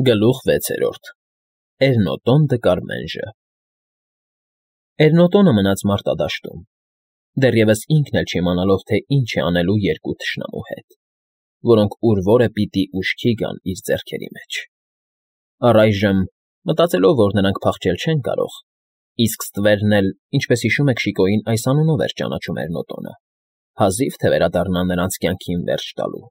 Գլուխ 6. Էրնոտոն դը Կարմենժը Էրնոտոնը մնաց մարտադաշտում, դեռևս ինքն էլ չիմանալով, թե ինչ է անելու երկու թշնամու հետ, որոնք ուր֊որը պիտի ուշքի գան իր ձեռքերի մեջ. առայժմ, մտածելով, որ նրանք փախչել չեն կարող, իսկ ստվերն էլ, ինչպես հիշում եք Շիկոյին, այս անունով էր ճանաչում Էրնոտոնը, հազիվ թե վերադառնա նրանց կյանքին վերջ տալու,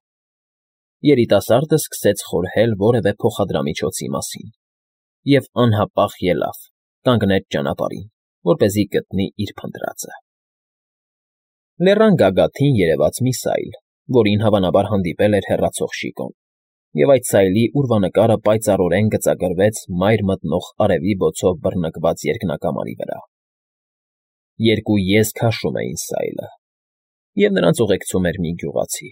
երիտասարդը սկսեց խորհել որևէ փոխադրամիջոցի մասին և անհապաղ ելավ, կանգնեց ճանապարհին, որպեսզի գտնի իր փնտրածը. Լեռան գագաթին երևաց մի սայլ, որին հավանաբար հանդիպել էր հեռացող Շիկոն, և այդ սայլի ուրվանկարը պայծառորեն գծագրվեց մայր մտնող արևի բոցով բռնկված երկնակամարի վրա. երկու եզ քաշում էին սայլը, և նրանց ուղեկցում էր մի գյուղացի.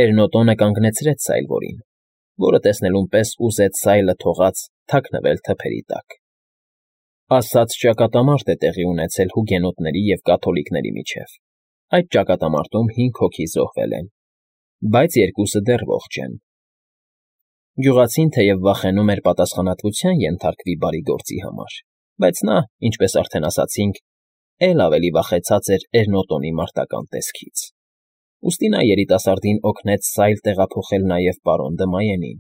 Էրնոտոնը կանգնեցրեց սայլվորին, որը տեսնելուն պես ուզեց սայլը թողած թաքնվել թփերի տակ. ասած ճակատամարտ է տեղի ունեցել հուգենոտների և կաթոլիկների միջև, այդ ճակատամարտում 5 հոգի զոհվել են, բայց երկուսը դեռ ողջ են. Գյուղացին թեև վախենում էր պատասխանատվության ենթարկվի բարի գործի համար, բայց նա, ինչպես արդեն ասացինք, էլ ավելի վախեցած էր Էրնոտոնի մարտական տեսքից. ուստի նա երիտասարդին օգնեց սայլ տեղափոխել նաև պարոն Դմայենին,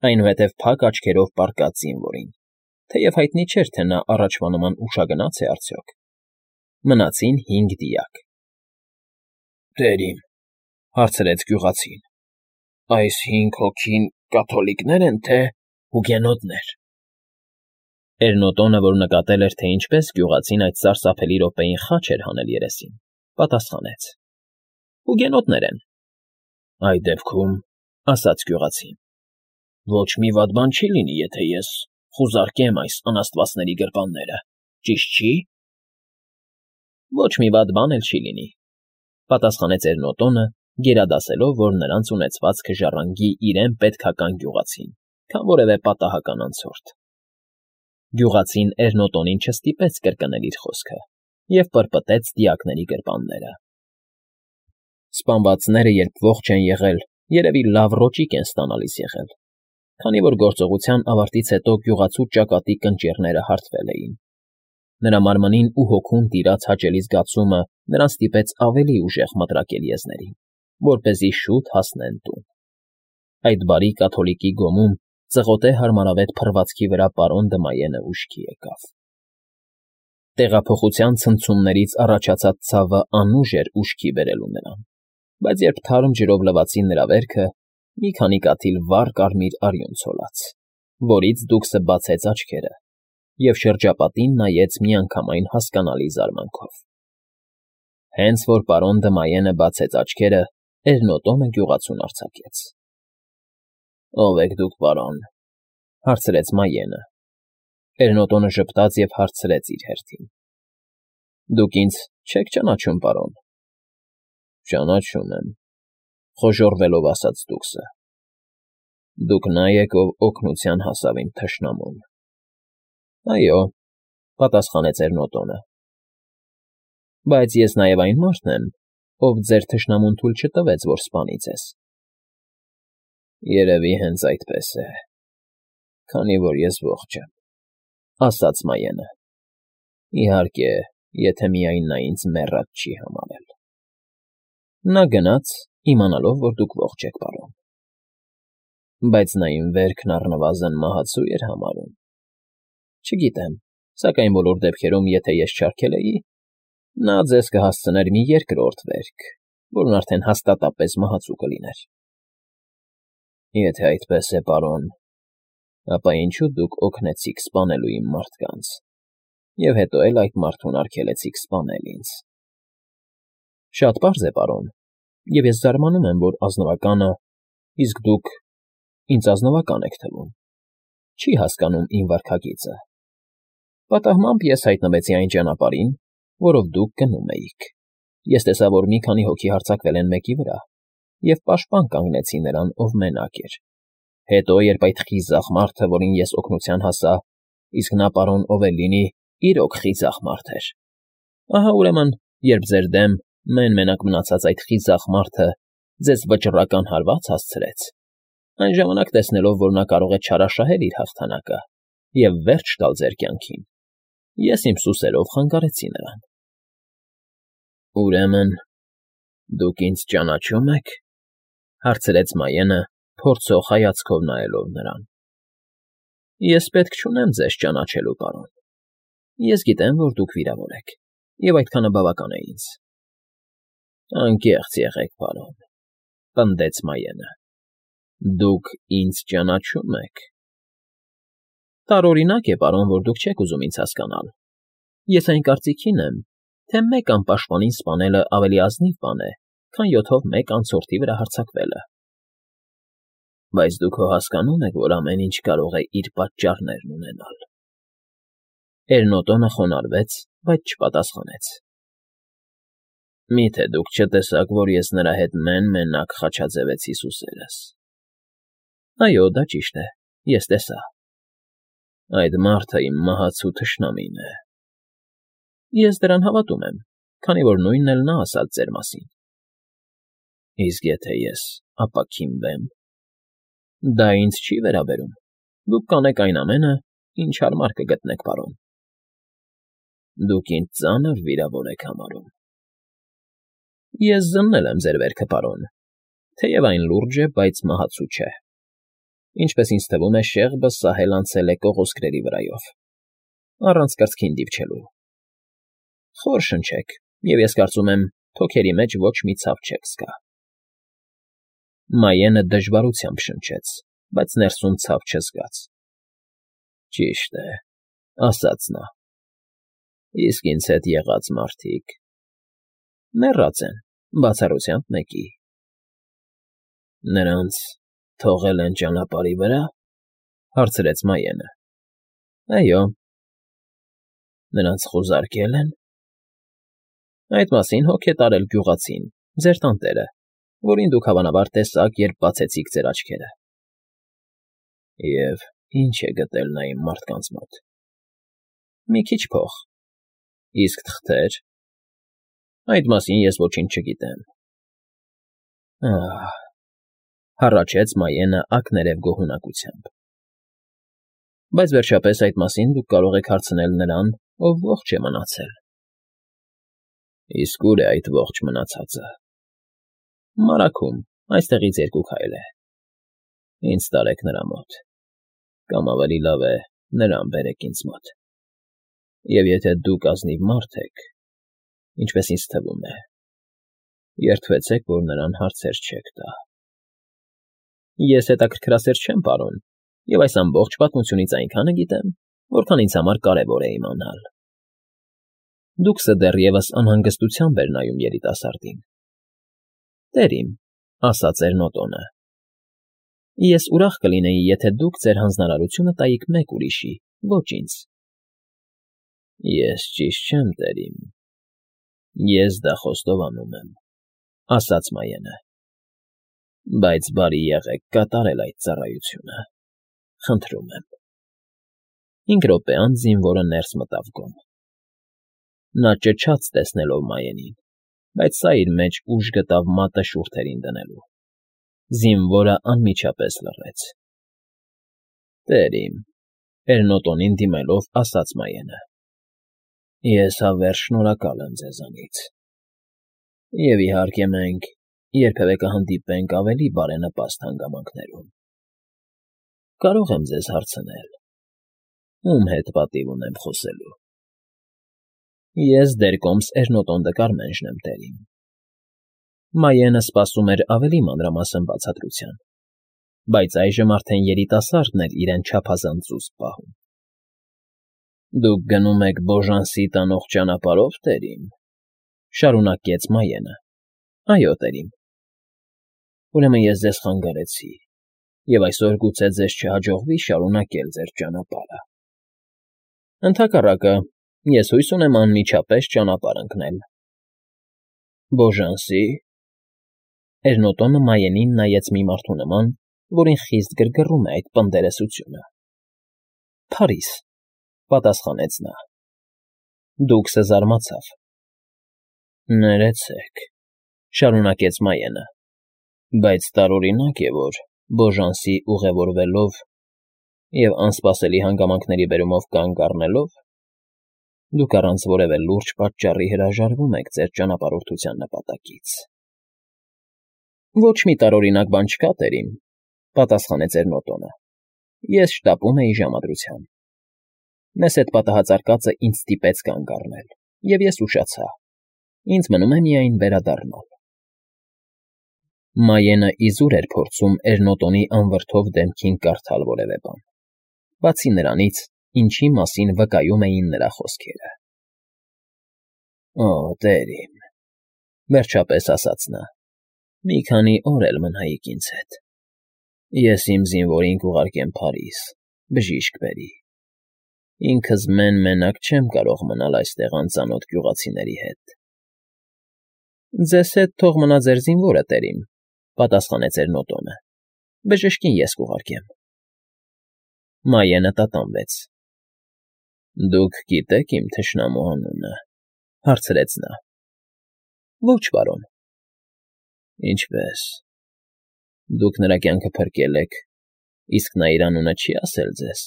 այնուհետև փակ աչքերով պառկած զինվորին, թեև հայտնի չէր, թե նա առաջվա նման ուշագնա՞ց է արդյոք. մնացին 5 դիակ։ Տեր իմ, հարցրեց գյուղացին, այս 5 հոգին կաթոլիկնե՞ր են, թե հուգենոտներ։ Էրնոտոնը, որ նկատել էր, թե ինչպես գյուղացին այդ սարսափելի րոպեին խաչ էր հանել երեսին, պատասխանեց. Հուգենոտներ են։ Այդ դեպքում, ասաց գյուղացին, ոչ մի վատ բան չի լինի, եթե ես խուզարկեմ այս անաստվածների գրպանները, ճիշտ չի։ Ոչ մի վատ բան էլ չի լինի, պատասխանեց Էրնոտոնը, գերադասելով, որ նրանց ունեցվածքը ժառանգի իրեն պետքական գյուղացին, քան որևէ պատահական անցորդ։ Գյուղացին Էրնոտոնին չստիպեց կրկնել իր խոսքը և պրպտեց դիակների գրպանները. Սպանվածները, երբ ողջ են եղել, երևի լավ ռոճիկ են ստանալիս եղել, քանի որ գործողության ավարտից հետո գյուղացու ճակատի կնճիռները հարթվել էին. նրա մարմնին ու հոգուն տիրած հաճելի զգացումը նրան ստիպեց ավելի ուժեղ մտրակել եզներին, որպեսզի շուտ հասնեն տուն. այդ բարի կաթոլիկի գոմում ծղոտե հարմարավետ փռվածքի վրա պարոն Դմայենը ուշքի եկավ. Տեղափոխության ցնցումներից առաջացած ցավը անուժ էր ուշքի բերելու նրան, բայց երբ թարմ ջրով լվացին նրա վերքը, մի քանի կաթիլ վառ կարմիր արյուն ցոլած, որից դուքսը բացեց աչքերը և շրջապատին նայեց միանգամայն հասկանալի զարմանքով. Հենց որ պարոն Դմայենը բացեց աչքերը, Էրնոտոնը գյուղացուն արձակեց. Ո՞վ եք դուք, պարոն, հարցրեց Մայենը. Էրնոտոնը ժպտաց և հարցրեց իր հերթին. Դուք ինձ չեք ճանաչում, պարոն։ Ճանաչում եմ, խոժոռվելով ասաց դուքսը. Դուք նա եք, ով օգնության հասավ իմ թշնամուն։ Այո, պատասխանեց Էրնոտոնը, բայց ես նաև այն մարդն եմ, ով ձեր թշնամուն թույլ չտվեց, որ սպանի ձեզ։ Երևի հենց այդպես է, քանի որ ես ողջ եմ, ասաց Մայենը, իհարկե, եթե միայն նա ինձ մեռած չի համարել։ Նա գնաց, իմանալով, որ դուք ողջ եք, պարոն։ Բայց նա իմ վերքն առնվազն մահացու էր համարում։ Չգիտեմ, սակայն բոլոր դեպքերում, եթե ես չարքել էի, նա ձեզ կհասցներ մի երկրորդ վերք, որն արդեն հաստատապես մահացու կլիներ։ Եթե այդպես է, պարոն, ապա ինչու դուք օգնեցիք սպանելու իմ մարդկանց, և հետո էլ այդ մարդուն արգելեցիք սպանել ինձ։ Շատ պարզ է, պարոն, և ես զարմանում եմ, որ ազնվականը, իսկ դուք ինձ ազնվական եք թվում, չի հասկանում իմ վարքագիծը։ Պատահմամբ ես հայտնվեցի այն ճանապարհին, որով դուք գնում էիք։ Ես տեսա, որ մի քանի հոգի հարձակվել են մեկի վրա, և պաշտպան կանգնեցի նրան, ով մենակ էր։ Հետո, երբ այդ խիզախ մարդը, որին ես օգնության հասա, իսկ նա, պարոն, ով էլ լինի, իրոք խիզախ մարդ էր։ Ահա ուրեմն, երբ ձեր դեմ մեն֊մենակ մնացած այդ խիզախ մարդը ձեզ վճռական հարված հասցրեց, Այն ժամանակ, տեսնելով, որ նա կարող է չարաշահել իր հաղթանակը և վերջ տալ ձեր կյանքին, ես իմ սուսերով խանգարեցի նրան։ ֊ Ուրեմն դուք ինձ ճանաչո՞ւմ եք,֊ հարցրեց Մայենը, փորձող հայացքով նայելով նրան։ ֊ Ես պետք չունեմ ձեզ ճանաչելու, պարոն։ Ես գիտեմ, որ դուք վիրավոր եք, և այդքանը բավական է ինձ։ ֊ Անկեղծ եղեք, պարոն,֊ պնդեց Մայենը։ Դուք ինձ ճանաչո՞ւմ եք։ Տարօրինակ է, պարոն, որ դուք չեք ուզում ինձ հասկանալ։ Ես այն կարծիքին եմ, թե մեկ անպաշտպանին սպանելը ավելի ազնիվ բան է, քան 7-ով մեկ անցորդի վրա հարձակվելը։ Բայց դուք հո հասկանո՞ւմ եք, որ ամեն ինչ կարող է իր պատճառներն ունենալ։ Էրնոտոնը խոնարհվեց, բայց չպատասխանեց։ Մի՞թե դուք չտեսաք, որ ես նրա հետ մեն֊մենակ խաչաձևեցի սուսերս։ Այո, դա ճիշտ է, ես տեսա։ Այդ մարդը իմ մահացու թշնամին է։ Ես դրան հավատում եմ, քանի որ նույնն էլ նա ասաց ձեր մասին։ Իսկ եթե ես ապաքինվեմ, դա ինձ չի վերաբերում։ Դուք կանեք այն ամենը, ինչ հարմար կգտնեք, պարոն։ Դուք ինձ ծանր վիրավոր եք համարում։ Ես զննել եմ ձեր վերքը, պարոն, թեև այն լուրջ է, բայց մահացու չէ։ Ինչպես ինձ թվում է, շեղբը սահել անցել է կողոսկրերի վրայով, առանց կրծքին դիպչելու։ Խոր շնչեք, և ես կարծում եմ, թոքերի մեջ ոչ մի ցավ չեք զգա։ Մայենը դժվարությամբ շնչեց, բայց ներսում ցավ չզգաց։ Ճիշտ է, ասաց նա։ Իսկ ինձ հետ եղած մարդիկ… Մեռած են, բացառությամբ մեկի։ Նրանց թողել են ճանապարհի վրա, հարցրեց Մայենը։ Այո։ Նրանց խուզարկել են։ Այդ մասին հոգ է տարել գյուղացին, ձեր տանտերը, որին դուք հավանաբար տեսաք, երբ բացեցիք ձեր աչքերը։ Եվ ինչ է գտել նա իմ մարդկանց մոտ։ Մի քիչ փող։ Իսկ թղթեր… Այդ մասին ես ոչինչ չգիտեմ։ Ահ… Հառաչեց Մայենը ակներև գոհունակությամբ։ Բայց վերջապես այդ մասին դուք կարող եք հարցնել նրան, ով ողջ է մնացել։ Իսկ ուր է այդ ողջ մնացածը։ Մարաքում, այստեղից 2 քայլ է։ Ինձ տարեք նրա մոտ, կամ ավելի լավ է, նրան բերեք ինձ մոտ։ Եվ եթե դուք ազնիվ մարդ եք, ինչպես ինձ թվում է, երդվեցեք, որ նրան հարցեր չեք տա։ Ես հետաքրքրասեր չեմ, պարոն, և այս ամբողջ պատմությունից այնքանը գիտեմ, որքան ինձ համար կարևոր է իմանալ։ Դուքսը դեռևս անհանգստությամբ էր նայում երիտասարդին։ Տեր իմ, ասաց Էրնոտոնը, ես ուրախ կլինեի, եթե դուք ձեր հանձնարարությունը տայիք մեկ ուրիշի, ոչ ինձ։ Ես ճիշտ չեմ, տեր իմ։ Ես դա խոստովանում եմ, ասաց Մայենը։ Բայց բարի եղեք կատարել այդ ծառայությունը։ Խնդրում եմ։ 5 րոպե անց զինվորը ներս մտավ գոմ։ Նա ճչաց տեսնելով Մայենին, բայց սա իր մեջ ուժ գտավ մատը շուրթերին դնելու։ Զինվորը անմիջապես լռեց։ Տեր իմ, Էրնոտոնին դիմելով ասաց Մայենը. Ես հավերժ շնորհակալ եմ ձեզանից։ Եվ իհարկե մենք երբևէ կհանդիպենք ավելի բարենպաստ հանգամանքներում։ Կարող եմ ձեզ հարցնել. ում հետ պատիվ ունեմ խոսելու։ Ես դերկոմս Էրնոտոն դը Կարմենժն եմ, տեր իմ։ Մայենը սպասում էր ավելի մանրամասն բացատրության, բայց այժմ արդեն երիտասարդն էր իրեն չափազանց զուսպ պահում։ Դուք գնում եք Բոժանսի տանող ճանապարհով, տեր իմ, շարունակեց Մայենը։ Այո, տեր իմ։ Ուրեմն ես ձեզ խանգարեցի, և այսօր գուցե ձեզ չհաջողվի շարունակել ձեր ճանապարհը։ Ընդհակառակը, ես հույս ունեմ անմիջապես ճանապարհ ընկնել։ Բոժանսի… Էրնոտոնը Մայենին նայեց մի մարդու նման, որին խիստ գրգռում է այդ պնդերեսությունը։ Փարիզ, պատասխանեց նա։ Դուքսը զարմացավ։ Ներեցեք, շարունակեց Մայենը, բայց տարօրինակ է, որ Բոժանսի ուղևորվելով և անսպասելի հանգամանքների բերումով կանգ առնելով, դուք առանց որևէ լուրջ պատճառի հրաժարվում եք ձեր ճանապարհորդության նպատակից։ Ոչ մի տարօրինակ բան չկա, տերին, պատասխանեց Էրնոտոնը։ Ես շտապում էի ժամադրության։ Մեզ հետ պատահածարկածը ինձ ստիպեց կանգ առնել, և ես ուշացա։ Ինձ մնում է միայն վերադառնալ։ Մայենը իզուր էր փորձում Էրնոտոնի անվրդով դեմքին կարդալ որևէ բան, բացի նրանից, ինչի մասին վկայում էին նրա խոսքերը։ Օ, տեր իմ, վերջապես ասաց նա, մի քանի օր էլ մնայիք ինձ հետ։ Ես իմ զինվորին կուղարկեմ Փարիզ, բժիշկ բերի։ Ինքս մեն֊մենակ չեմ կարող մնալ այստեղ անծանոթ գյուղացիների հետ։ Ձեզ հետ թող մնա ձեր զինվորը, տերին, պատասխանեց Էրնոտոնը։ Բժշկին ես կուղարկեմ։ Մայենը տատանվեց։ Դուք գիտեք իմ թշնամու անունը, հարցրեց նա։ Ոչ, պարոն։ Ինչպե՞ս։ Դուք նրա կյանքը փրկել եք, իսկ նա իր անունը չի ասել ձեզ։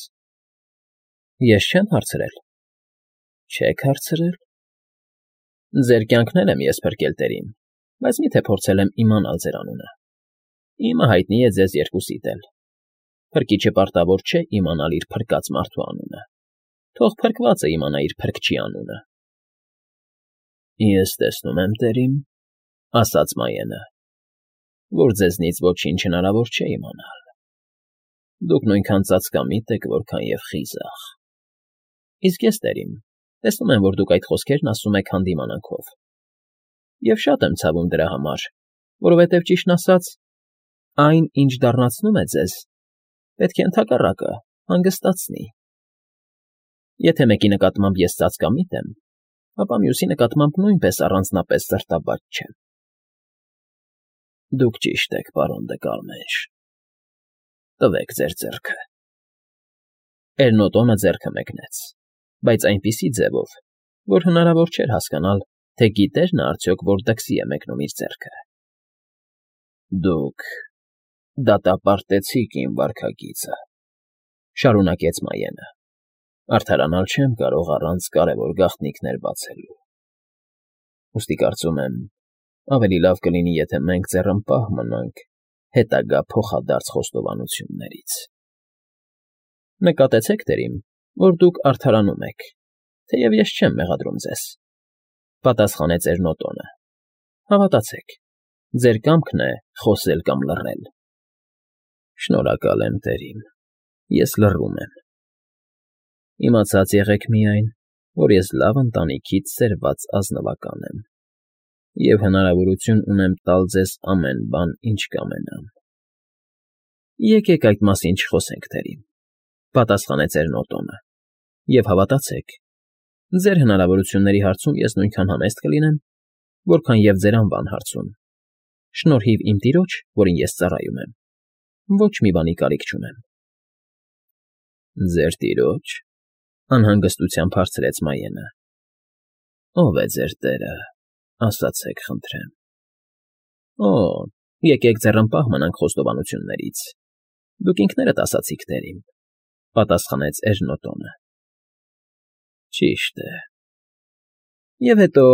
Ես չեմ հարցրել։ Չեք հարցրել։ Ձեր կյանքն էլ եմ ես փրկել, տերին, բայց մի՞թե փորձել եմ իմանալ ձեր անունը։ Իմը հայտնի է ձեզ երկուսիդ էլ։ Փրկիչը պարտավոր չէ իմանալ իր փրկած մարդու անունը։ Թող փրկվածը իմանա իր փրկչի անունը։ Ես տեսնում եմ, տերին, ասաց Մայենը, որ ձեզնից ոչինչ հնարավոր չէ իմանալ։ Դուք նույնքան ծածկամիտ եք, որքան և խիզախ։ Իսկ ես, տերին, տեսնում եմ, որ դուք այդ խոսքերն ասում եք հանդիմանանքով։ Եվ շատ եմ ցավում դրա համար, որովհետև ճիշտն ասած, այն, ինչ դառնացնում է ձեզ, պետք է ընդհակառակը հանգստացնի։ Եթե մեկի նկատմամբ ես ծածկամիտ եմ, ապա մյուսի նկատմամբ նույնպես առանձնապես սրտաբաց չեմ։ Դուք ճիշտ եք, պարոն դե Կարմենշ։ Տվեք ձեր ձեռքը։ Էրնոտոնը ձեռքը մեկնեց, բայց այնպիսի ձևով, որ հնարավոր չէր հասկանալ, թե գիտեր նա արդյոք, որ դքսի է մեկնում իր ձեռքը։ Դուք դատապարտեցիք իմ վարքագիծը, շարունակեց Մայենը։ Արդարանալ չեմ կարող առանց կարևոր գաղտնիքներ բացելու։ Ուստի կարծում եմ, ավելի լավ կլինի, եթե մենք ձեռնպահ մնանք հետագա փոխադարձ խոստովանություններից։ Նկատեցեք, տերին, որ դուք արդարանում եք, թեև ես չեմ մեղադրում ձեզ, պատասխանեց Էրնոտոնը։ Հավատացեք, ձեր կամքն է խոսել կամ լռել։ Շնորհակալ եմ, տերին, ես լռում եմ։ Իմացած եղեք միայն, որ ես լավ ընտանիքից սերված ազնվական եմ, և հնարավորություն ունեմ տալ ձեզ ամեն բան, ինչ կամենամ։ Եկեք այդ մասին չխոսենք, տերին, պատասխանեց Էրնոտոնը, և հավատացեք, ձեր հնարավորությունների հարցում ես նույնքան համեստ կլինեմ, որքան և ձեր անվան հարցում։ Շնորհիվ իմ տիրոջ, որին ես ծառայում եմ, ոչ մի բանի կարիք չունեմ։ Ձեր տիրոջ, անհանգստությամբ հարցրեց Մայենը։ Ո՞վ է ձեր տերը, ասացեք, խնդրեմ։ Օ, եկեք ձեռնպահ մնանք խոստովանություններից։ Դուք ինքներդ ասացիք, տերին, պատասխանեց Էրնոտոնը։ Ճիշտ է։ Եվ հետո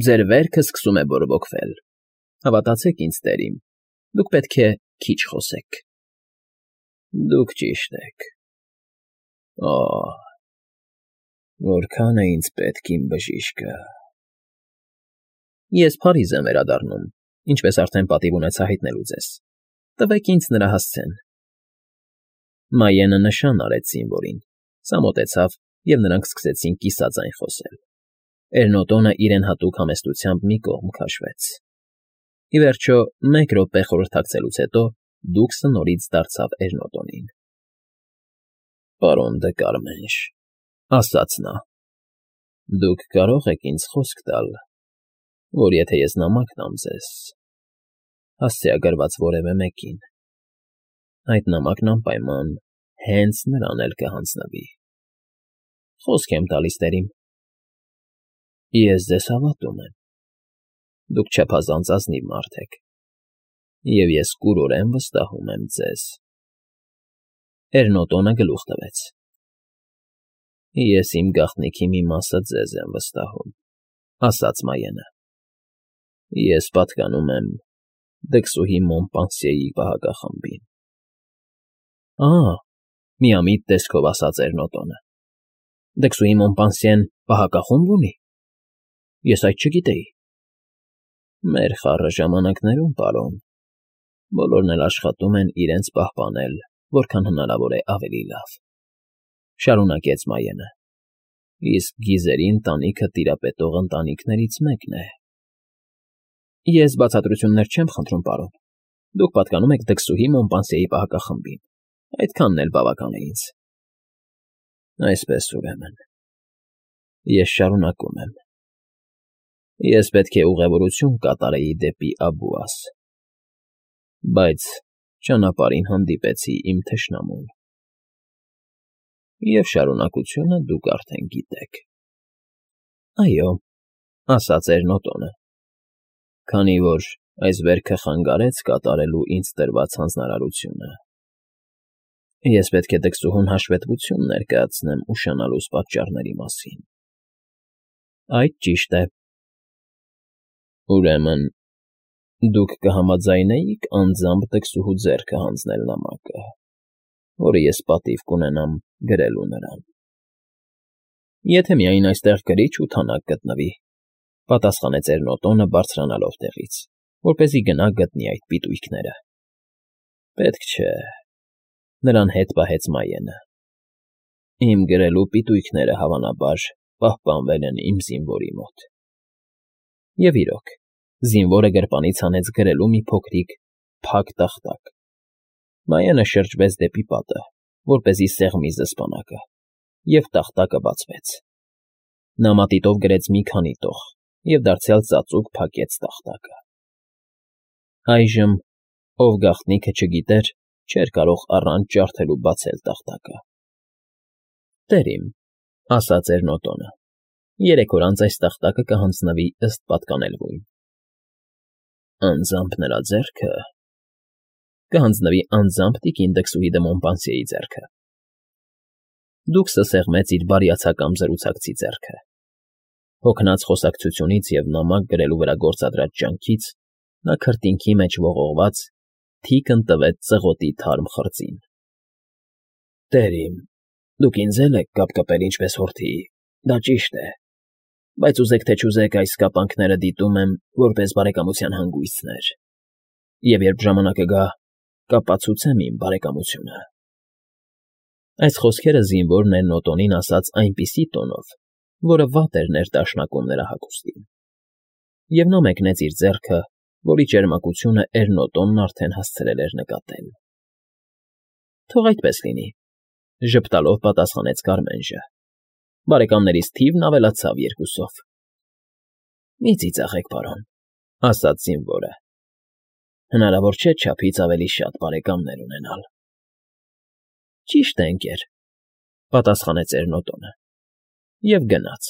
ձեր վերքը սկսում է բորբոքվել։ Հավատացեք ինձ, տերին, դուք պետք է քիչ խոսեք։ Դուք ճիշտ եք։ Օ, որքան է ինձ պետք իմ բժիշկը։ Ես Փարիզ եմ վերադառնում, ինչպես արդեն պատիվ ունեցա հայտնելու ձեզ։ Տվեք ինձ նրա հասցեն։ Մայենը նշան արեց զինվորին, սա մոտեցավ, և նրանք սկսեցին կիսաձայն խոսել։ Էրնոտոնը իրեն հատուկ համեստությամբ մի կողմ քաշվեց։ Ի վերջո, մեկ րոպե խորհրդակցելուց հետո դուքսը նորից դարձավ Էրնոտոնին։ Պարոն դե Կարմենշ, ասաց նա, դուք կարող եք ինձ խոսք տալ, որ եթե ես նամակ տամ ձեզ, հասցեագրված որևէ մեկին, այդ նամակն անպայման հենց նրան էլ կհանձնվի։ Խոսք եմ տալիս, տերին։ Ես ձեզ հավատում եմ։ Դուք չափազանց ազնիվ մարդ եք։ Եվ ես կուրորեն վստահում եմ ձեզ։ Էրնոտոնը գլուխ տվեց։ Ես իմ գաղտնիքի մի մասը ձեզ եմ վստահում, ասաց Մայենը։ Ես պատկանում եմ Դքսուհի Մոնպանսիեի պահակախմբին։ Միամիտ տեսքով ասաց Էրնոտոնը։ Դքսուհի Մոնպանսիեն պահակախումբ ունի։ Ես այդ չգիտեի։ Մեր խառը ժամանակներում, պարոն, բոլորն էլ աշխատում են իրենց պահպանել, որքան հնարավոր է ավելի լավ, շարունակեց Մայենը։ Իսկ գիզերի ընտանիքը տիրապետող ընտանիքներից մեկն է։ Ես բացատրություններ չեմ խնդրում, պարոն։ Դուք պատկանում եք Դքսուհի Մոնպանսիեի պահակախմբին։ Այդքանն էլ բավական է ինձ։ Այսպես ուրեմն, ես շարունակում եմ։ Ես պետք է ուղևորություն կատարեի դեպի Աբուաս, բայց ճանապարհին հանդիպեցի իմ թշնամուն։ Եվ շարունակությունը դուք արդեն գիտեք։ Այո, ասաց Էրնոտոնը, քանի որ այս վերքը խանգարեց կատարելու ինձ տրված հանձնարարությունը։ Ես պետք է Դքսուհուն հաշվետվություն ներկայացնեմ ուշանալուս պատճառների մասին։ Այդ ճիշտ է։ Ուրեմն, դուք կհամաձայնեիք անձամբ Դքսուհու ձեռքը հանձնել նամակը, որը ես պատիվ կունենամ գրելու նրան։ Եթե միայն այստեղ գրիչ ու թանակ գտնվի, պատասխանեց Էրնոտոնը բարձրանալով տեղից, որպեսզի գնա գտնի այդ պիտույքները։ Պետք չէ, նրան հետ պահեց Մայենը։ Իմ գրելու պիտույքները հավանաբար պահպանվել են իմ զինվորի մոտ։ Եվ իրոք, զինվորը գրպանից հանեց գրելու մի փոքրիկ փակ տախտակ։ Մայենը շրջվեց դեպի պատը, որպեսզի սեղմի զսպանակը, և տախտակը բացվեց։ Նա մատիտով գրեց մի քանի տող և դարձյալ ծածուկ փակեց տախտակը։ Այժմ, ով գաղտնիքը չգիտեր, չէր կարող առանց ջարդելու բացել տախտակը։ Տեր իմ, ասաց Էրնոտոնը, 3 օր անց այս տախտակը կհանձնվի ըստ պատկանելվույն։ Անձամբ նրա ձեռքը։ Կհանձնվի անձամբ տիկին Դքսուհի դը Մոնպանսիեի ձեռքը։ Դուքսը սեղմեց իր բարիացակամ զրուցակցի ձեռքը։ Հոգնած խոսակցությունից և նամակ գրելու վրա գործադրած ջանքից նա քրտինքի մեջ ողողված թիկն տվեց ծղոտի թարմ խրձին։ Տեր իմ, դուք ինձ էլ եք կապկպել ինչպես հորթիի, դա ճիշտ է, բայց ուզեք թե չուզեք այս կապանքները դիտում եմ որպես բարեկամության հանգույցներ, և երբ ժամանակը գա, կապացուցեմ իմ բարեկամությունը։ Այս խոսքերը զինվորն Էրնոտոնին ասաց այնպիսի տոնով, որը վատ էր ներդաշնակում նրա հագուստին։ Եվ նա մեկնեց իր ձեռքը, որի ճերմակությունը Էրնոտոնն արդեն հասցրել էր նկատել։ Թող այդպես լինի, ժպտալով պատասխանեց Կարմենժը։ Բարեկամներիս թիվն ավելացավ 2-ով։ Մի ծիծաղեք, պարոն, ասաց զինվորը։ Հնարավոր չէ չափից ավելի շատ բարեկամներ ունենալ։ Ճիշտ է, ընկեր, պատասխանեց Էրնոտոնը և գնաց։